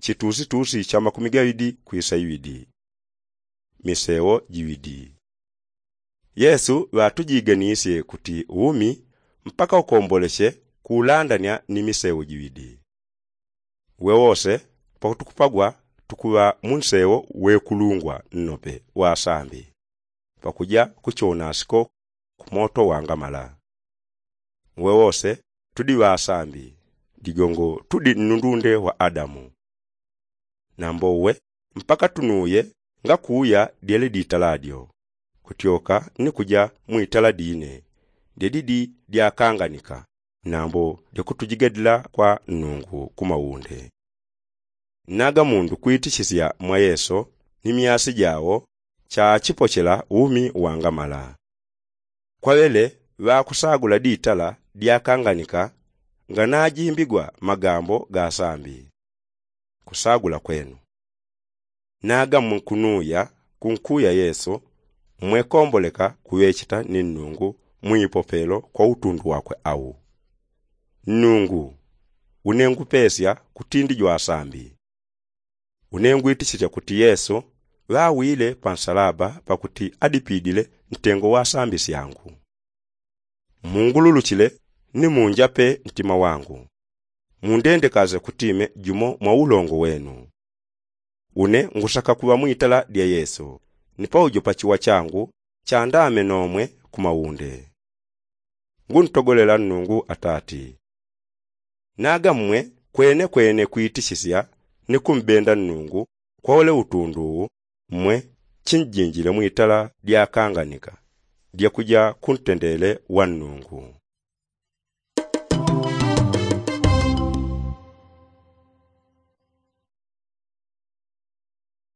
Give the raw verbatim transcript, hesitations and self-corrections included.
chitusitusi cha makumi gaŵidi kwisa iŵidi. Misewo jiŵidi. Yesu ŵatujiganisye kuti umi mpaka ukomboleche kuulandanya ni misewo jiŵidi. Wewose pakutukupagwa tukuŵa munsewo wekulungwa nnope wa sambi, pakuja kuchonasiko kumoto wangamala. Wewose tudi ŵasambi, digongo tudi nnundunde wa adamu. Nambo uwe mpaka tunuye ngakuya dyele ditala dyo, kutyoka ni kuja mwitala dine, dyedidi dyakanganika, nambo dyakutujigadila kwa nnungu kumaunde. Naga mundu kwitichisya mwa yesu ni myasi jawo chachipochela umi wangamala. Kwaŵele ŵakusagula ditala dyakanganika nganajimbigwa magambo ga sambi. Kusagula kwenu. Naga mwe kunuya kunkuya yesu, mwe komboleka kuŵecheta ni nnungu mwipopelo kwa utundu wakwe au. Nnungu, une ngupesya kutindi jwasambi. Une ngwitichisya kuti yesu ŵawile pansalaba pakuti adipidile ntengo wa sambi syangu. Mungululuchile ni munjape ntima wangu. Mundendekaze kuti ime jumo mwa ulongo wenu. Une ngusaka kuŵa mwitala dya yesu, ni paujo pachiwa changu chandame nomwe kumaunde. Nguntogolela nnungu atati. Naga mmwe kwenekwene kwitichisya ni kumbenda nnungu kwa ule utundu uwu, mmwe chinjinjile mwitala dyakanganika dyakuja kuntendele wa nnungu.